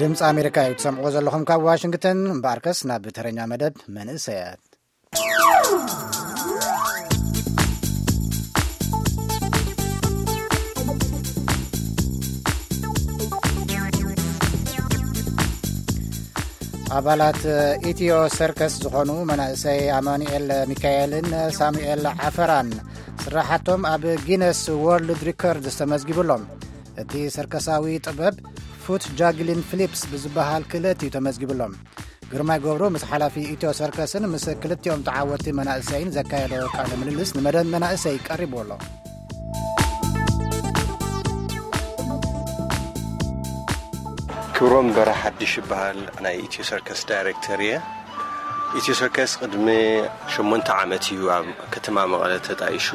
ድምፂ ኣሜሪካ እዩ ትሰምዕዎ ዘለኹም ካብ ዋሽንግተን። እምበኣርከስ ናብ ተረኛ መደብ መንእሰያት። ኣባላት ኢትዮ ሰርከስ ዝኾኑ መናእሰይ ኣማኑኤል ሚካኤልን ሳሙኤል ዓፈራን ስራሓቶም ኣብ ጊነስ ወርልድ ሪከርድስ ተመዝጊቡሎም። እቲ ሰርከሳዊ ጥበብ ፉት ጃግሊን ፍሊፕስ ብዝበሃል ክእለት እዩ ተመዝጊቡሎም። ግርማይ ገብሩ ምስ ሓላፊ ኢትዮ ሰርከስን ምስ ክልቲኦም ተዓወትቲ መናእሰይን ዘካየዶ ቃለ ምልልስ ንመደብ መናእሰይ ቀሪቡ ኣሎ። ክብሮም በራ ሓድሽ ይበሃል፣ ናይ ኢትዮ ሰርከስ ዳይሬክተር እየ። ኢትዮ ሰርከስ ቅድሚ ሸሞንተ ዓመት እዩ ኣብ ከተማ መቐለ ተጣይሹ።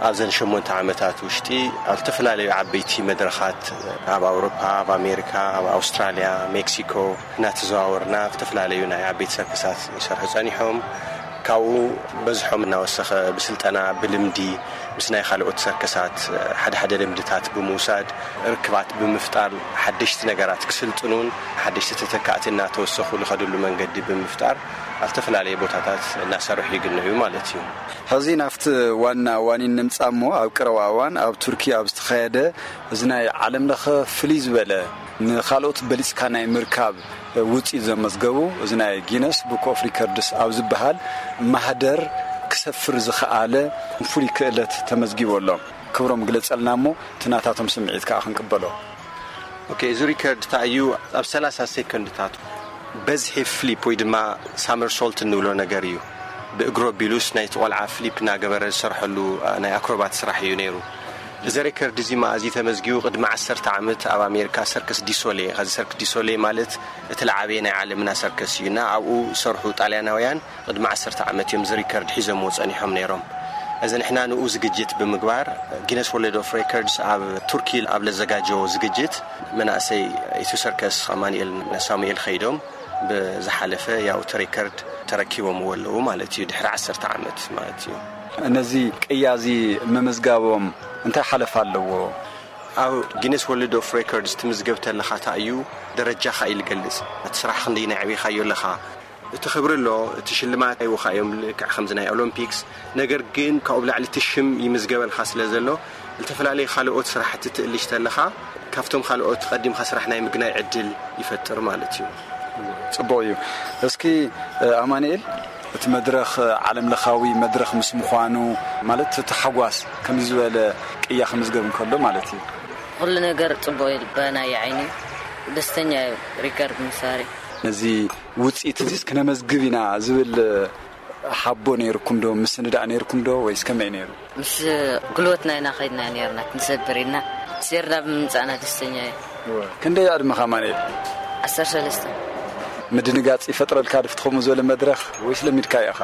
ኣብዘን ሸሞንተ ዓመታት ውሽጢ ኣብ ዝተፈላለዩ ዓበይቲ መድረኻት ኣብ ኣውሮፓ፣ ኣብ ኣሜሪካ፣ ኣብ ኣውስትራልያ፣ ሜክሲኮ እናተዘዋወርና ዝተፈላለዩ ናይ ዓበይቲ ሰርከሳት ይሰርሑ ጸኒሖም። ካብኡ በዝሖም እናወሰኸ ብስልጠና፣ ብልምዲ ምስ ናይ ካልኦት ሰርከሳት ሓደ ሓደ ልምድታት ብምውሳድ፣ ርክባት ብምፍጣር፣ ሓደሽቲ ነገራት ክስልጥኑን ሓደሽቲ ተተካእቲ እናተወሰኹ ዝኸድሉ መንገዲ ብምፍጣር ኣብ ዝተፈላለዩ ቦታታት እናሰርሑ ይግነዩ ማለት እዩ። ሕዚ ናብቲ ዋና ዋኒን ንምጻእ እሞ፣ ኣብ ቀረባ እዋን ኣብ ቱርኪ ኣብ ዝተኻየደ እዚ ናይ ዓለም ለኸ ፍልይ ዝበለ ንኻልኦት በሊጽካ ናይ ምርካብ ውጽኢት ዘመዝገቡ፣ እዚ ናይ ጊነስ ቡክ ኦፍ ሪከርድስ ኣብ ዝበሃል ማህደር ክሰፍር ዝኸኣለ ፍሉይ ክእለት ተመዝጊቡ ኣሎ። ክብሮም ግለጸልና እሞ፣ እቲ ናታቶም ስምዒት ከኣ ክንቅበሎ። ኦኬ፣ እዚ ሪከርድ እንታይ እዩ? ኣብ ሰላሳ ሴኮንድታት በዝሒ ፍሊፕ ወይ ድማ ሳመርሶልት እንብሎ ነገር እዩ። ብእግሩ ኣቢሉስ ናይቲ ቆልዓ ፍሊፕ እናገበረ ዝሰርሐሉ፣ አ፣ ናይ ኣክሮባት ስራሕ እዩ ነይሩ። እዚ ሬከርድ እዚ መኣዚ ተመዝጊቡ? ቅድሚ ዓሰርተ ዓመት ኣብ ኣሜሪካ ሰርከስ ዲሶሌ፣ ከዚ ሰርከስ ዲሶሌ ማለት እቲ ለዓበየ ናይ ዓለምና ሰርከስ እዩ እና ኣብኡ ዝሰርሑ ጣልያናውያን ቅድሚ ዓሰርተ ዓመት እዮም እዚ ሪከርድ ሒዞምዎ ጸኒሖም ነይሮም። እዚ ንሕና ንኡ ዝግጅት ብምግባር ጊነስ ወርልድ ኦፍ ሬከርድስ ኣብ ቱርኪ ኣብ ለዘጋጀዎ ዝግጅት መናእሰይ ኢትዮ ሰርከስ ኣማኑኤል ሳሙኤል ኸይዶም ብዝሓለፈ ያው እቲ ሬከርድ ተረኪቦምዎ ኣለዉ ማለት እዩ፣ ድሕሪ ዓሰርተ ዓመት ማለት እዩ። ነዚ ቅያ እዚ ምምዝጋቦም እንታይ ሓለፋ ኣለዎ? ኣብ ጊነስ ወርልድ ኦፍ ሬከርድስ ትምዝገብ ተለኻ እንታይ እዩ ደረጃኻ እዩ ዝገልጽ። እቲ ስራሕ ክንደይ ናይ ዕቤኻዮ ኣለኻ። እቲ ክብሪ ኣሎ፣ እቲ ሽልማት ኣይወኻ እዮም ልክዕ ከምዚ ናይ ኦሎምፒክስ። ነገር ግን ካብኡ ብላዕሊ እቲ ሽም ይምዝገበልካ ስለ ዘሎ፣ ዝተፈላለዩ ካልኦት ስራሕቲ ትእልሽ ተለኻ ካብቶም ካልኦት ቀዲምካ ስራሕ ናይ ምግናይ ዕድል ይፈጥር ማለት እዩ። ጽቡቕ እዩ። እስኪ፣ እ፣ ኣማኑኤል፣ እቲ መድረኽ፣ እ፣ ዓለም ለኻዊ መድረኽ ምስ ምዃኑ፣ ማለት እቲ ታሕጓስ ከምዚ ዝበለ ቅያ ክምዝገብ እንከሎ ማለት እዩ። ኩሉ ነገር ጽቡቕ እዩ፣ በናይ ዓይኒ ደስተኛ እዩ ሪከርድ ምሳሪ። ነዚ ውጽኢት እዚስ ክነመዝግብ ኢና ዝብል ሓቦ ነይርኩም ዶ? ምስንዳእ ነይርኩም ዶ? ወይስ ከመይ ነይሩ? ምስ ጉልበትና ኢና ኸይድና ነይርና፣ ክንሰብር ኢልና ሴርና ብምምጻእና ደስተኛ እየ። ክንደይ ዕድመኻ ኣማኑኤል? ዓሰርተ ሰለስተ። ምድንጋጽ ይፈጥረልካ ድፍትኸሙ ዝበለ መድረኽ ወይስ ለሚድካ ኢኻ?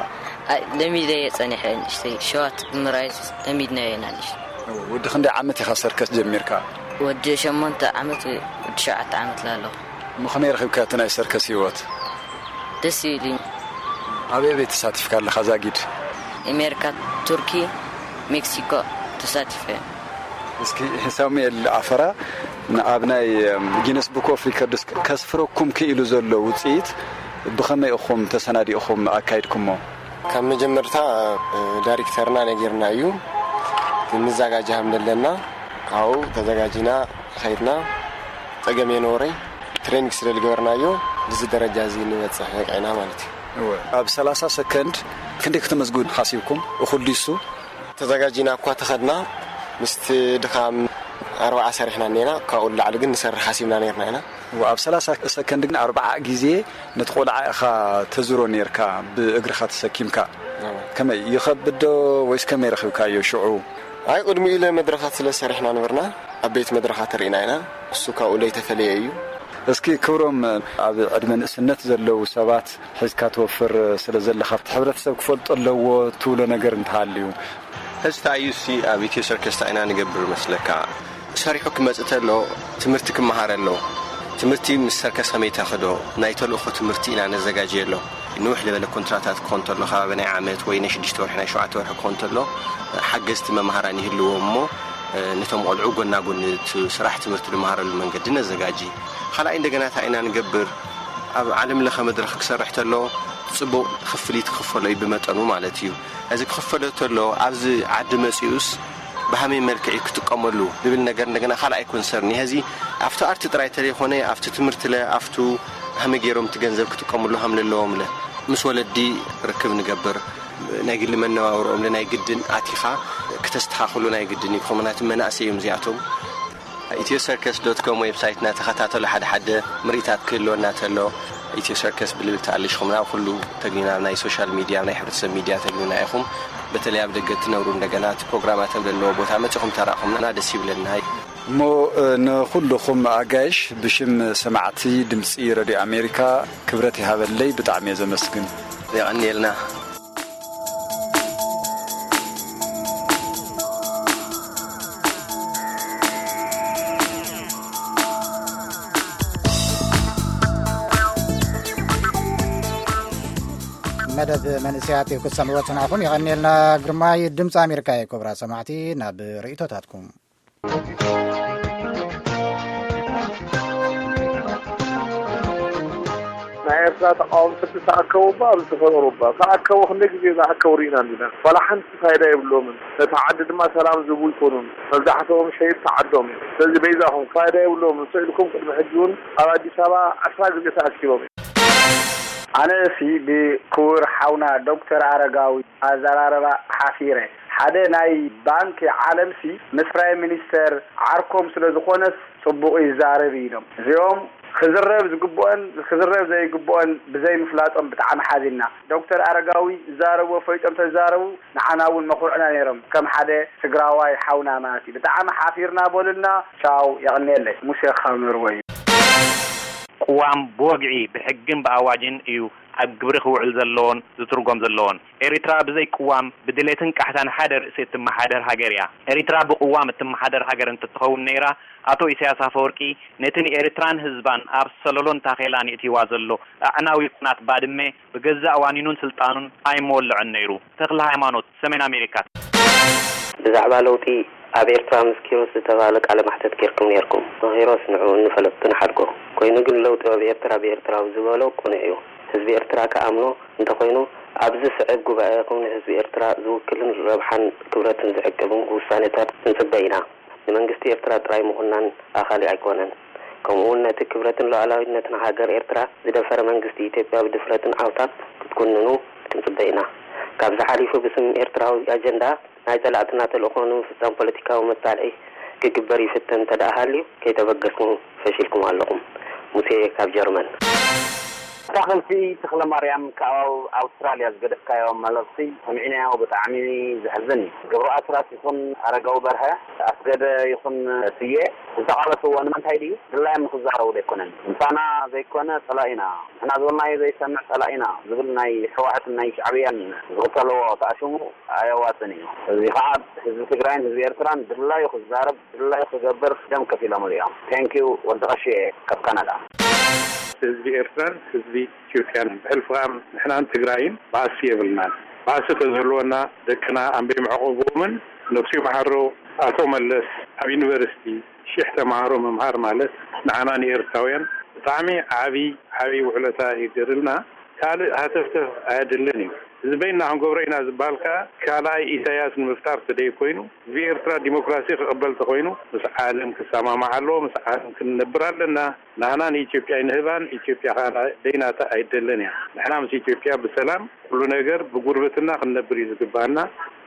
ኣይ፣ ለሚደ እየ ጸኒሐ፣ ንእሽተይ ሸዋት ብምራይ ለሚድና ኢና ንእሽተይ። ወዲ ክንደይ ዓመት ኢኻ ሰርከስ ጀሚርካ? ወዲ ሸሞንተ ዓመት ወይ ወዲ ሸውዓተ ዓመት ላለኹ። እሞ ከመይ ረኺብካ እቲ ናይ ሰርከስ ህይወት? ደስ ይብል እዩ። ኣበይ ኣበይ ተሳቲፍካ ኣለኻ ዛጊድ? ኣሜሪካ፣ ቱርኪ፣ ሜክሲኮ ተሳቲፈ። እስኪ ሳሙኤል ኣፈራ፣ ኣብ ናይ ጊነስ ቡክ ኦፍ ሪከርድስ ከስፍረኩም ክኢሉ ዘሎ ውፅኢት ብኸመይ ኢኹም ተሰናዲእኹም ኣካይድኩሞ? ካብ መጀመርታ ዳይሬክተርና ነጊርና እዩ፣ ንዘጋጃ ከም ዘለና። ካብኡ ተዘጋጂና ኸይድና፣ ጸገም የነበረይ። ትሬኒንግ ስለ ዝገበርናዮ፣ እዚ ደረጃ እዚ ንበጽሕ በቂዕና ማለት እዩ። እወ። ኣብ ሰላሳ ሰከንድ ክንደይ ከተመዝግቡ ሓሲብኩም? እኹል ድዩ እሱ? ተዘጋጂና እኳ ተኸድና፣ ምስቲ ድኻም ኣርባዓ ሰሪሕና እኔና፣ ካብኡ ንላዕሊ ግን ንሰርሕ ሓሲብና ነይርና ኢና። እወ፣ ኣብ ሰላሳ ሰከንድ ግን ኣርባዓ ግዜ ነቲ ቆልዓ ኢኻ ተዝሮ ነይርካ፣ ብእግርኻ ተሰኪምካ። እወ። ከመይ፣ ይኸብድ ዶ ወይስ ከመይ ረኺብካዮ ሽዑ? ኣይ፣ ቅድሚኡ ኢለ መድረኻት ስለ ሰሪሕና ነበርና፣ ዓበይቲ መድረኻት ርኢና ኢና። እሱ ካብኡ ለይተፈለየ እዩ። እስኪ ክብሮም፣ ኣብ ዕድመ ንእስነት ዘለዉ ሰባት ሒዝካ ትወፍር ስለ ዘለኻ፣ እቲ ሕብረተሰብ ክፈልጦ ኣለዎ ትብሎ ነገር እንተሃልዩ? ሕዚ እንታይ እዩ እሲ ኣብ ኢትዮ ሰርከስ እንታይ ኢና ንገብር መስለካ? ሰሪሑ ክመጽእ ተሎ ትምህርቲ ክመሃር ኣሎ። ትምህርቲ ምስ ሰርከስ ከመይ ተኽዶ? ናይ ተልእኾ ትምህርቲ ኢና ነዘጋጅየሎም። ንውሕ ዝበለ ኮንትራታት ክኾን ተሎ፣ ከባቢ ናይ ዓመት ወይ ናይ ሽዱሽተ ወርሒ፣ ናይ ሸውዓተ ወርሒ ክኾን ተሎ፣ ሓገዝቲ መምሃራን ይህልዎ እሞ፣ ነቶም ቆልዑ ጎና ጎኒ እቲ ስራሕ ትምህርቲ ዝመሃረሉ መንገዲ ነዘጋጂ። ካልኣይ እንደገና እንታይ ኢና ንገብር? ኣብ ዓለም ለኸ መድረኽ ክሰርሕ ተሎ ጽቡቕ ክፍሊት ክኽፈሎ እዩ ብመጠኑ ማለት እዩ። እዚ ክኽፈሎ ተሎ ኣብዚ ዓዲ መጺኡስ ብሃመይ መልክዕ እዩ ክጥቀመሉ ዝብል ነገር እንደገና ካልኣይ ኮንሰርን እዩ። ሕዚ ኣብቲ ኣርቲ ጥራይ ተለይኮነ ኣብቲ ትምህርቲ ለ ኣብቱ ሃመ ገይሮም እቲ ገንዘብ ክጥቀምሉ ሃም ለለዎም ለ ምስ ወለዲ ርክብ ንገብር ናይ ግሊ መነባብርኦም ለ ናይ ግድን ኣቲኻ ክተስተኻኽሉ ናይ ግድን እዩ። ከምናት መናእሰይ እዮም እዚኣቶም። ኢትዮ ሰርከስ ዶት ኮም ዌብሳይትና ተኸታተሉ። ሓደ ሓደ ምርኢታት ክህልወና ተሎ ኢትዮ ሰርከስ ብልብል ተኣልሽኹምና ኩሉ ተግኒና ናይ ሶሻል ሚድያ ናይ ሕብረተሰብ ሚድያ ተግኒና ኢኹም። በተለይ ኣብ ደገ ትነብሩ እንደገና እቲ ፕሮግራማት ኣብ ዘለዎ ቦታ መጺኹም ተራእኹምና ደስ ይብለና። እሞ ንኹልኹም ኣጋይሽ ብሽም ሰማዕቲ ድምፂ ረድዮ ኣሜሪካ ክብረት ይሃበለይ። ብጣዕሚ እየ ዘመስግን። የቐንየልና። መደብ መንእሰያት ክትሰምዕዎ ጽናኹም የቐንየልና። ግርማይ ድምፂ ኣሜሪካ እየ። ክቡራት ሰማዕቲ፣ ናብ ርእይቶታትኩም። ናይ ኤርትራ ተቃወምቲ ዝተኣከቡ እባ ኣብዚ ተፈጠሩ እባ ዝተኣከቡ ክንደይ ግዜ ዝኣከቡ ርኢና እንዲና። ዋላ ሓንቲ ፋይዳ የብሎምን። ነቲ ዓዲ ድማ ሰላም ዝህቡ ይኮኑን። መብዛሕትኦም ሸይጥቲ ዓዶም እዮም። ስለዚ በይዛኹም ፋይዳ የብሎምን። ስእልኩም ቅድሚ ሕጂ እውን ኣብ ኣዲስ ኣበባ ዓስራ ግዜ ተኣኪቦም እዮም። ኣነሲ ብክቡር ሓውና ዶክተር ኣረጋዊ ኣዘራርባ ሓፊረ። ሓደ ናይ ባንኪ ዓለምሲ ምስ ፕራይም ሚኒስተር ዓርኮም ስለ ዝኾነስ ጽቡቕ ይዛረብ ኢሎም። እዚኦም ክዝረብ ዝግብኦን ክዝረብ ዘይግብኦን ብዘይምፍላጦም ብጣዕሚ ሓዚንና። ዶክተር ኣረጋዊ ዝዛረብዎ ፈሊጦም ተዛረቡ ንዓና እውን መኹርዕና ነይሮም ከም ሓደ ትግራዋይ ሓውና ማለት እዩ። ብጣዕሚ ሓፊርና በሉልና። ቻው የቐንየለይ። ሙሴ ካምርዎ እዩ። ቅዋም ብወግዒ ብሕግን ብኣዋጅን እዩ ኣብ ግብሪ ክውዕል ዘለዎን ዝትርጎም ዘለዎን። ኤሪትራ ብዘይ ቅዋም ብድሌትን ቃሕታን ሓደ ርእሲ እትመሓደር ሃገር እያ። ኤሪትራ ብቅዋም እትመሓደር ሃገር እንትትኸውን ነይራ ኣቶ ኢሳያስ ኣፈወርቂ ነቲ ንኤሪትራን ህዝባን ኣብ ሰለሎን ታኼላን የእትይዋ ዘሎ ኣዕናዊ ኩናት ባድመ ብገዛእ ዋኒኑን ስልጣኑን ኣይምወልዖን ነይሩ። ተኽለ ሃይማኖት፣ ሰሜን ኣሜሪካ። ብዛዕባ ለውጢ ኣብ ኤርትራ ምስ ኪሮስ ዝተባህለ ቃለ ማሕተት ጌርኩም ኔርኩም። ንኪሮስ ንዕኡ እንፈለጥኩ ንሓድጎ። ኮይኑ ግን ለውጢ ኣብ ኤርትራ ብኤርትራዊ ዝበሎ ቅኑዕ እዩ። ህዝቢ ኤርትራ ክኣምኖ እንተኾይኑ ኣብዚ ስዕብ ጉባኤኹም ንህዝቢ ኤርትራ ዝውክልን ረብሓን ክብረትን ዝዕቅብን ውሳኔታት ክንጽበ ኢና። ንመንግስቲ ኤርትራ ጥራይ ምኹናን ኣኻሊ ኣይኮነን። ከምኡውን ነቲ ክብረትን ሉዓላዊነትን ሃገር ኤርትራ ዝደፈረ መንግስቲ ኢትዮጵያ ብድፍረትን ዓውታት ክትኩንኑ ክንጽበ ኢና። ካብዚ ሓሊፉ ብስም ኤርትራዊ ኣጀንዳ ናይ ጸላእትና ተልእኾ ንምፍጻም ፖለቲካዊ መጣልዒ ክግበር ይፍተን እንተደኣ ሃልዩ ከይተበገስኩም ፈሺልኩም ኣለኹም። ሙሴ ካብ ጀርመን። ኣታኽልቲ ተኽለማርያም ካብ ኣውስትራልያ ዝገደፍካዮ መልእኽቲ ሰሚዕናዮ ብጣዕሚ ዘሕዝን እዩ። ገብሩ ኣስራት ይኹን ኣረጋዊ በርሀ ኣስገደ ይኹን ስየ ዝተቓለስዎ ንምንታይ ድዩ? ድላዮም ንኽዛረቡ ዶ ኣይኮነን? ምሳና ዘይኮነ ጸላኢና፣ ንሕና ዝበልናዮ ዘይሰምዕ ጸላኢና ዝብል ናይ ህወሓትን ናይ ሻዕብያን ዝኽተልዎ ተኣሽሙ ኣየዋጽን እዩ። እዚ ኸዓ ህዝቢ ትግራይን ህዝቢ ኤርትራን ድላዩ ክዛረብ ድላዩ ክገብር ደም ከፊሎምሉ እዮም። Thank you ወዲ ቐሺ ካብ ካናዳ። ህዝቢ ኤርትራን ህዝቢ ኢትዮጵያን ብሕልፊ ኸዓ ንሕናን ትግራይን ባእሲ የብልናን። ባእሲ ተዝህልወና ደቅና ኣንበይ መዕቆብዎምን ነብሱ ይምሓሮ ኣቶ መለስ ኣብ ዩኒቨርሲቲ ሽሕ ተምሃሮ ምምሃር ማለት ንዓና ንኤርትራውያን ብጣዕሚ ዓቢ ዓቢ ውዕለታ ይገርልና። ካልእ ሃተፍተፍ ኣየድልን እዩ። እዚ በይንና ክንገብሮ ኢና ዝበሃል ከኣ ካልኣይ ኢሳያስ ንምፍጣር ተደይ ኮይኑ ህዝቢ ኤርትራ ዲሞክራሲ ክቕበል ተኾይኑ ምስ ዓለም ክሰማማዕ ኣለዎ። ምስ ዓለም ክንነብር ኣለና። ናህና ንኢትዮጵያ ኣይንህባን፣ ኢትዮጵያ ከኣ ደይናታ ኣይደልን እያ። ንሕና ምስ ኢትዮጵያ ብሰላም ኩሉ ነገር ብጉርብትና ክንነብር እዩ ዝግባና።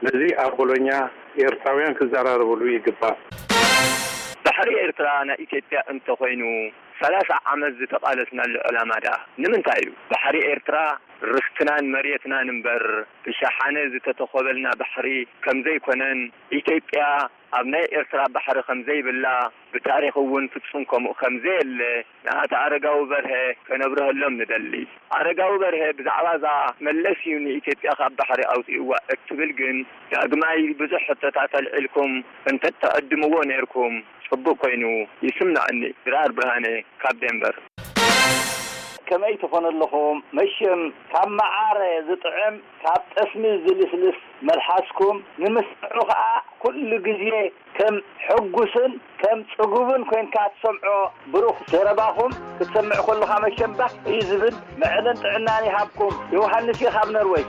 ነዚ ኣብ ቦሎኛ ኤርትራውያን ክዘራረብሉ ይግባእ። ባሕሪ ኤርትራ ናይ ኢትዮጵያ እንተኾይኑ ሰላሳ ዓመት ዝተቓለስናሉ ዕላማ ደኣ ንምንታይ እዩ? ባሕሪ ኤርትራ ርስትናን መሬትናን እምበር ብሸሓነ ዝተተኾበልና ባሕሪ ከምዘይኮነን ኢትዮጵያ ኣብ ናይ ኤርትራ ባሕሪ ከምዘይብላ ብታሪኽ እውን ፍጹም ከምኡ ከምዘየለ ንኣቶ ኣረጋዊ በርሀ ከነብርሀሎም ንደሊ። ኣረጋዊ በርሀ ብዛዕባ እዛ መለስ እዩ ንኢትዮጵያ ካብ ባሕሪ ኣውጺእዋ እትብል ግን ዳግማይ ብዙሕ ሕቶታት ኣልዒልኩም እንተትዕድምዎ ነይርኩም ጽቡቕ ኮይኑ ይስምዓኒ። ድራር ብርሃነ ካብ ዴንቨር። ከመይ ትኾኑ ኣለኹም? መሸም ካብ መዓረ ዝጥዕም ካብ ጠስሚ ዝልስልስ መልሓስኩም ንምስምዑ ኸኣ ኩሉ ግዜ ከም ሕጉስን ከም ጽጉብን ኮይንካ ትሰምዖ። ብሩኽ ዘረባኹም ክትሰምዕ ከለኻ መሸም ባህ እዩ ዝብል። መዕለን ጥዕናን ይሃብኩም። ዮሃንስ እየ ካብ ነርወይ።